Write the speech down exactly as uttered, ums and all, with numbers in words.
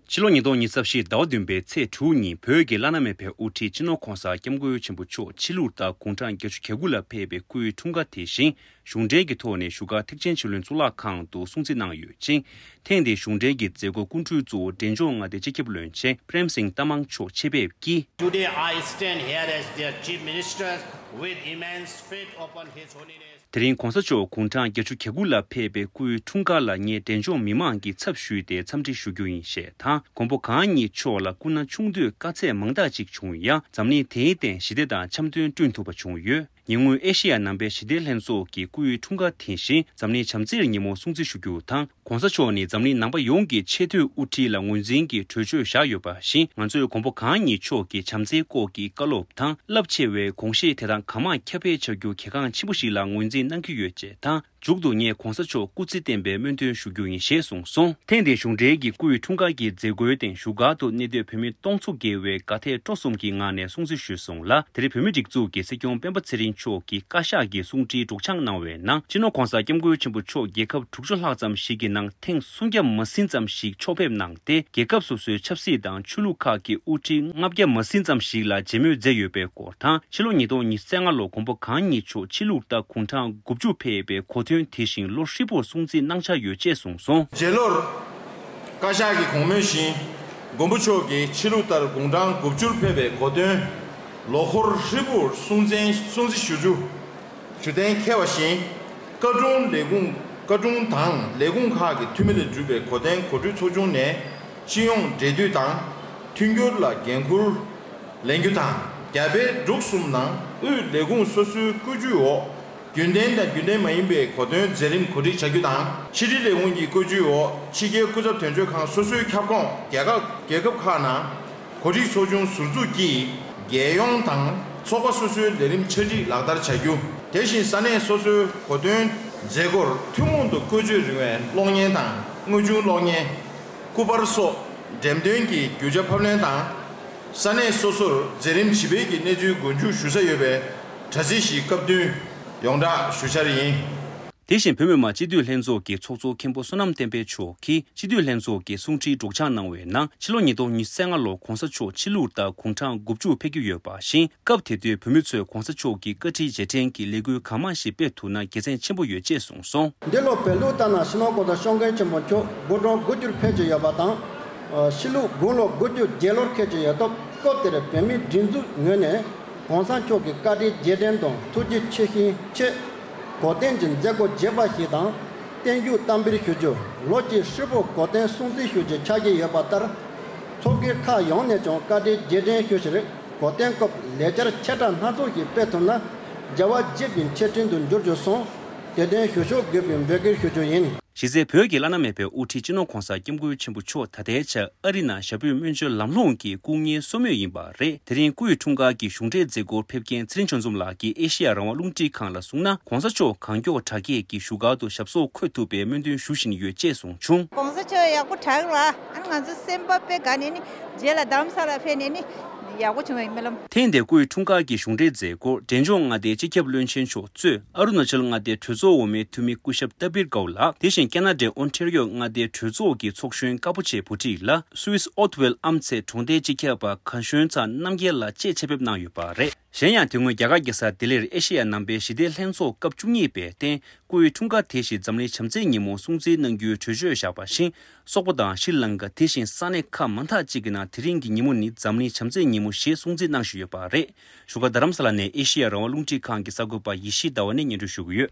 ཕྱི་ལོ་ཉིས་སྟོང་ཉི་ཤུ་རྩ་བཞི་ཟླ་བ་བདུན་པའི་ཚེས་དྲུག་ཉིན་བོད་ཀྱི་བླ་ན་མེད་པའི་དབུ་ཁྲིད་སྤྱི་ནོར་༧གོང་ས་༧སྐྱབས་མགོན་ཆེན་པོ་མཆོག་ཕྱི་ལུགས་ལྟར་དགུང་གྲངས་བརྒྱད་ཅུ་གྱ་དགུ་ལ་ཕེབས་པའི་སྐུའི་འཁྲུངས་སྐར་དེ་བཞིན་གཞུང་འབྲེལ་གྱི་ཐོག་ནས་བཞུགས་སྒར་ཐེག་ཆེན་ཆོས་གླིང་གཙུག་ལག་ཁང་དུ་སྲུང་བརྩི་གནང་ཡོད་ཅིང་། ཐེངས་འདིའི་གཞུང་འབྲེལ་གྱི་མཛད་སྒོའི་སྐུ་མགྲོན་གཙོ་བོ་འབྲས་ལྗོངས་མངའ་སྡེའི་སྤྱི་ཁྱབ་བློན་ཆེན་པྲེམ་སིང་ཏ་མང་མཆོག་ཆེད་ཕེབས་ཀྱིས། Today I stand here as their Chief Minister with immense faith upon His Holiness. དེ་རིང་༧གོང་ས་མཆོག་དགུང་གྲངས་བརྒྱད་ཅུ་གྱ་དགུ་ལ་ཕེབས་པའི་སྐུའི་འཁྲུངས་སྐར་ལ་ངས་འབྲས་ལྗོངས་མི་མང་གི་ཚབ་ཞུས་ཏེ་འཚམས་འདྲི་ཞུ་རྒྱུ་ཡིན་ཞེས་དང་། མགོན་པོ་གང་ཉིད་མཆོག་ལ་སྐུ་ན་ཆུང་དུས་དཀའ་ཚེགས་མང་དག་ཅིག་བྱུང་ཡང་། འཛམ་གླིང་དེའི་སྟེང་ཞི་བདེ་དང་འཆམ་མཐུན་བསྐྲུན་ཐུབ་པ་བྱུང་ཡོད། ཉེ་སྔོན་ཨེ་ཤེ་ཡ་ནང་པའི་ཞི་བདེ་ལྷན་ཚོགས་ཀྱི་སྐུའི་འཁྲུངས་སྐར་དེ་བཞིན་འཛམ་གླིང་བྱམས་བརྩེའི་ཉིན་མོ་སྲུང་བརྩི་ཞུ་རྒྱུ་དང་། ༸གོང་ས་མཆོག་ནི་འཛམ་གླིང་ནང་པ་ཡོངས་ཀྱི་ཆེས་མཐོའི་དབུ་ཁྲིད་ལ་ངོས་འཛིན་གྱི་གྲོས་ཆོད་བཞག་ཡོད་པ་བཞིན། ང་ཚོས་མགོན་པོ་གང་ཉིད་མཆོག་གི་བྱམས་བརྩེའི་སྐོར་གྱི་བཀའ་སློབ་དང་། རླབས་ཆེ་བའི་དགོངས་བཞེད་དེ་དག་གང་མང་ཁྱབ་སྤེལ་བྱ་རྒྱུ་གལ་འགངས་ཆེན་པོ་ཞིག་ལ་ངོས་འཛིན་གནང་གི་ཡོད་ཅེས་དང་། མཇུག་ཏུ་ངས་༸གོང་ས་མཆོག་སྐུ་ཚེ་བརྟན་པའི་སྨོན་འདུན་ཞུ་རྒྱུ་ཡིན་ཞེས་གསུངས་སོང་། ཐེངས་འདིའི་གཞུང་འབྲེལ་གྱི་སྐུའི་འཁྲུངས་སྐར་གྱི་མཛད་སྒོའི་སྟེང་བཞུགས་སྒར་དུ་གནས་སྡོད་བོད་མི་སྟོང་ཚོ་བརྒལ་བས་དགའ་དད་སྤྲོ་གསུམ་གྱི་ངང་ནས་སྲུང་བརྩི་ཞུས་སོང་ལ། དེར་བོད་མིའི་སྒྲིག་འཛུགས་ཀྱི་སྲིད་སྐྱོང་སྤེན་པ་ཚེ་རིང་མཆོག་གིས་བཀའ་ཤག་གི་གསུང་འཕྲིན་སྒྲོག་སྦྱང་གནང་བའི་ནང་། སྤྱི་ནོར་༸གོང་ས་༸སྐྱབས་མགོན་ཆེན་པོ་མཆོག་རྒྱལ་ཁབ་དྲུག་ཅུ་ལྷག་ཙམ་ཞིག་གི་ནང་ཐེངས་སུམ་བརྒྱ་མ་ཟིན་ཙམ་ཞིག་ཕྱོགས་ཕེབས་གནང་སྟེ། རྒྱལ་ཁབ་སོ་སོའི་ཆབ་སྲིད་དང་ཆོས་ལུགས་ཁག་གི་དབུ་ཁྲིད་ལྔ་བརྒྱ་མ་ཟིན་ཙམ་ཞིག་ལ་མཇལ་མོལ་མཛད་ཡོད་པའི་སྐོར་དང་། ཕྱི་ལོ་ཉིས་སྟོང་ཉི་ཤུ་རྩ་ལྔ་ལོར་མགོན་པོ་གང་ཉིད་མཆོག་ཕྱི་ལུགས་ལྟར་དགུང་གྲངས་དགུ་བཅུ་ཕེབས་པའི་གོ་སྟོན་དེ་བཞིན་ལོ་ཧྲིལ་པོར་སྲུང་བརྩི་གནང་འཆར་ཡོད་ཅེས་གསུངས་སོང་། རྗེས་ལོར། བཀའ་ཤག་གི་གོང་མོལ་བཞིན། མགོན་པོ་མཆོག་གིས་ཕྱི་ལུགས་ལྟར་དགུང་གྲངས་དགུ་བཅུར་ཕེབས་པའི་གོ་སྟོན། ལོ་འཁོར་ཧྲིལ་པོར་སྲུང་བརྩི་སྲུང་བརྩི་ཞུ་རྒྱུ། ཞུ་གཏན་འཁེལ་བ་བཞིན། བཀའ་དྲུང་ལས་ཁུངས། བཀའ་དྲུང་དང་ལས་ཁུངས་ཁག་གི་འཐུས་མི་ལས་གྲུབ་པའི་གོ་སྟོན་གོ་སྒྲིག་ཚོགས་ཆུང་ནས། སྤྱི་ཡོངས་འབྲེལ་མཐུད་དང་། མཐུན་འགྱུར་ལ་འགན་འཁུར་ལེན་རྒྱུ་དང་། རྒྱ་བལ་འབྲུག་གསུམ་ནང་དབུས་ལས་ཁུངས་སོ་སོའི་བཀོད་ཇུས་འོག་རྒྱུན་ལྡན་དང་རྒྱུན་ལྡན་མ་ཡིན་པའི་གོ་སྟོན་མཛད་རིམ་གོ་སྒྲིག་བྱ་རྒྱུ་དང་། ཕྱི་དྲིལ་ལས་ཁུངས་ཀྱི་བཀོད་ཇུས་འོག་ཕྱི་རྒྱལ་སྐུ་ཚབ་དོན་གཅོད་ཁང་སོ་སོའི་ཁྱབ་ཁོངས་རྒྱལ་ཁབ་རྒྱལ་ཁབ་ཁག་ནང་། གོ་སྒྲིག་ཚོགས་ཆུང་ཟུར་འཛུགས་ཀྱིས། རྒྱལ་ཡོངས་དང་ཚོགས་པ་སོ་སོའི་ལས་རིམ་ཆ་སྒྲིག་ལག་བསྟར་བྱ་རྒྱུ། དེ་བཞིན་ས་གནས་སོ་སོའི་གོ་སྟོན་མཛད་སྒོར་ཐུན་མོང་དུ་བཀོལ་སྤྱོད་རིང་བའི་གློག་བརྙན་དང་དངོས་བྱུང་གློག་བརྙན། སྐུ་པར་སོགས་འགྲེམས་སྟོན་གྱི་རྒྱུ་ཆ་ཕབ་ལེན་དང་། ས་གནས་སོ་སོར་མཛད་རིམ་ཇི་སྤེལ་གྱི་གནས་ཚུལ་མགོ་མཇུག་ཞུ་ས་ཡོད་པའི་དྲ་ཚིགས་ཤིག་སྐབས་བསྟུན་ཡོངས་བསྒྲགས་ཞུ་འཆར་ཡིན། དེ་བཞིན་བོད་མི་མང་སྤྱི་འཐུས་ལྷན་ཚོགས་ཀྱི་ཚོགས་གཙོ་མཁན་པོ་བསོད་ནམས་བསྟན་འཕེལ་མཆོག་གིས་སྤྱི་འཐུས་ལྷན་ཚོགས་ཀྱི་གསུང་འཕྲིན་སྒྲོག་སྦྱང་གནང་བའི་ནང་། ཕྱི་ལོ་ཉིས་སྟོང་ཉི་ཤུ་རྩ་ལྔ་ལོར་༸གོང་ས་མཆོག་ཕྱི་ལུགས་ལྟར་དགུང་གྲངས་དགུ་བཅུ་ཕེབས་ཀྱི་ཡོད་པ་བཞིན། སྐབས་དེ་དུས་བོད་མི་ཚོས་༸གོང་ས་མཆོག་གི་བཀའ་དྲིན་རྗེས་དྲན་གྱི་ལས་འགུལ་གང་མང་ཞིག་སྤེལ་ཐུབ་ན་དགེ་མཚན་ཆེན་པོ་ཡོད་ཅེས་གསུངས་སོང་། འདི་ལོ་བོད་ལུགས་ལྟར་ན་སྤྱི་ནོར་༸གོང་ས་༸སྐྱབས་མགོན་ཆེན་པོ་མཆོག་དགུང་གྲངས་དགུ་བཅུར་ཕེབས་ཀྱི་ཡོད་པ་དང་། ཕྱི་ལུགས་དགུང་ལོ་དགུ་བཅུ་བརྒྱད་ལོར་འཁེལ་གྱི་ཡོད་སྟབས། སྐབས་དེར་བོད་མིའི་སྒྲིག་འཛུགས་ངོས་ནས་༸གོང་ས་མཆོག་གི་བཀའ་དྲིན་རྗེས་དྲན་དང་ཐུགས་རྗེ་ཆེ་ཞུའི་ཆེད། གོ་སྟོན་གྱི་མཛད་སྒོ་རྒྱས་པ་ཞིག་དང་། བརྟན་བཞུགས་བསྟར་འབུལ་ཞུ་རྒྱུ། ལོ་གཅིག་ཧྲིལ་པོ་གོ་སྟོན་སྲུང་བརྩི་ཞུ་རྒྱུ་ཆགས་ཀྱི་ཡོད་པ་ལྟར། ཚོགས་སྒེར་ཁག་ཡོངས་ནས་ཀྱང་བཀའ་དྲིན་རྗེས་དྲན་ཞུ་ཕྱིར། གོ་སྟོན་སྐབས་ལས་འཆར་ཆེ་ཕྲ་སྣ་ཚོགས་ཤིག་སྤེལ་ཐུབ་ན། རྒྱལ་བ་དགྱེས་པའི་ཆེད་སྤྲིན་དུ་འགྱུར་རྒྱུ་སོང་། དེ་དོན་ཞུ་ཕྱོགས་དགོས་པའི་འབོད་སྐུལ་ཞུ་རྒྱུ་ཡིན། གཞི་རྩའི་བོད་ཀྱི་བླ་ན་མེད་པའི་དབུ་ཁྲིད་སྤྱི་ནོར་༸གོང་ས་༸སྐྱབས་མགོན་ཆེན་པོ་མཆོག་ད་ལྟའི་ཆར་ཨ་རི་ནང་ཞྭ་ཕུད་སྨན་བཅོས་ལམ་ལྷོང་གི་སྐུ་ངལ་གསོ་མུས་ཡིན་པ་རེད། དེ་རིང་སྐུ་ཡི་འཁྲུངས་སྐར་གྱི་གཞུང་འབྲེལ་མཛད་སྒོར་ཕེབས་མཁན་ཚེ་རིང་ཆོས་འཛོམས་ལགས་ཀྱིས་ཨེ་ཤེ་ཡ་རང་དབང་རླུང་འཕྲིན་ཁང་ལ་གསུངས་ན། ༸གོང་ས་མཆོག་གང་མགྱོགས་དྲག་སྐྱེད་ཀྱི་བཞུགས་སྒར་དུ་ཞབས་སོར་འཁོད་ཐུབ་པའི་སྨོན་འདུན་ཞུ་བཞིན་ཡོད་ཅེས་གསུངས་བྱུང་། ༸གོང་ས་མཆོག་ཡག་པོ་དྲག་ལ། ཨ་ནི་ང་ཚོ་སེམས་པ་དཔེ་དགའ་ནས་ནི། རྗེས་ལ་རྡ་རམ་ས་ལ་ཕེབས་ནས་ནི། ཡག་པོ་བྱུང་བའི་སྨོན་ལམ། ཐེངས་འདིའི་སྐུའི་འཁྲུངས་སྐར་གྱི་གཞུང་འབྲེལ་མཛད་སྒོར་འབྲས་ལྗོངས་མངའ་སྡེའི་སྤྱི་ཁྱབ་བློན་ཆེན་མཆོག་གཙོས་ཨ་རུ་ན་ཅལ་མངའ་སྡེའི་གྲོས་ཚོགས་འོག་མའི་འཐུས་མི་སྐུ་ཞབས་ཏ་པིར་ཀའོ་ལགས། དེ་བཞིན་ཁེ་ན་ཌའི་ཨོན་ཊེ་རི་ཡོ་མངའ་སྡེའི་གྲོས་ཚོགས་ཀྱི་ཚོགས་གཞོན་ཀ་པོ་ཆེ་བུ་ཁྲིད་ལགས། སུད་སི་ཨོ་ཐི་ཝེལ་ཨམ་ཚེ་གྲོང་སྡེའི་སྤྱི་ཁྱབ་པ་ག་ཤོན་ཚ་རྣམ་རྒྱལ་ལགས་བཅས་ཆེད་ཕེབས་གནང་ཡོད་པ་རེད། གཞན་ཡང་། དེ་སྔོན་རྒྱ་གར་རྒྱལ་ས་ལྡི་ལིར་ཨེ་ཤེ་ཡ་ནང་པའི་ཞི་བདེའི་ལྷན་ཚོགས་སྐབས་བཅུ་གཉིས་པའི་སྟེང་། སྐུའི་འཁྲུངས་སྐར་དེ་བཞིན་འཛམ་གླིང་བྱམས་བརྩེའི་ཉིན་མོ་སྲུང་བརྩི་གནང་རྒྱུའི་གྲོས་ཆོད་བཞག་པ་བཞིན། སོག་པོ་དང་ཤྲི་ལང་ཀ་དེ་བཞིན་ས་གནས་ཁག་མང་དག་ཅིག་གི་ནང་དེ་རིང་གི་ཉིན་མོ་ནི་འཛམ་གླིང་བྱམས་བརྩེའི་ཉིན་མོ་ཞེས་སྲུང་བརྩི་གནང་བཞིན་ཡོད་པ་རེད། བཞུགས་སྒར་རྡ་རམ་ས་ལ་ནས་ཨེ་ཤེ་ཡ་རང་དབང་རླུང་འཕྲིན་ཁང་གི་གསར་འགོད་པ་ཡེ་ཤེས་ཟླ་བ་ནས་སྙན་སྒྲོན་ཞུ་གི་ཡོད།